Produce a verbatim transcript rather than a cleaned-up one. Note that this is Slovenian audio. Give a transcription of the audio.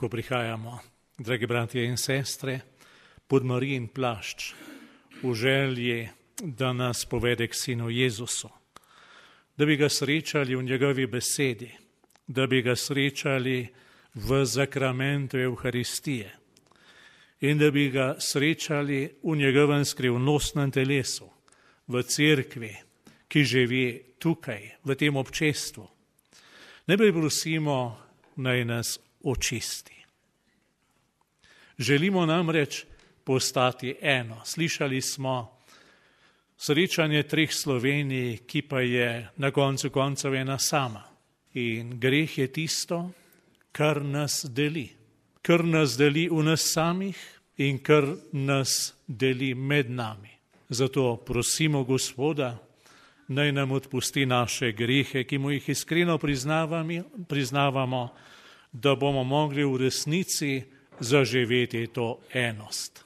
ko prihajamo, dragi bratje in sestre, pod Marijin plašč, v želji, da nas povede k sinu Jezusu, da bi ga srečali v njegovi besedi, da bi ga srečali v zakramentu Evharistije in da bi ga srečali v njegovem skrivnostnem telesu, v cerkvi, ki živi tukaj, v tem občestvu. Najprej prosimo, naj nas očisti. Želimo namreč postati eno. Slišali smo srečanje treh Slovenij, ki pa je na koncu koncev ena sama. In greh je tisto, kar nas deli. Kar nas deli v nas samih in kar nas deli med nami. Zato prosimo Gospoda, naj nam odpusti naše grehe, ki mu jih iskreno priznavamo, da bomo mogli v resnici zaživeti to enost.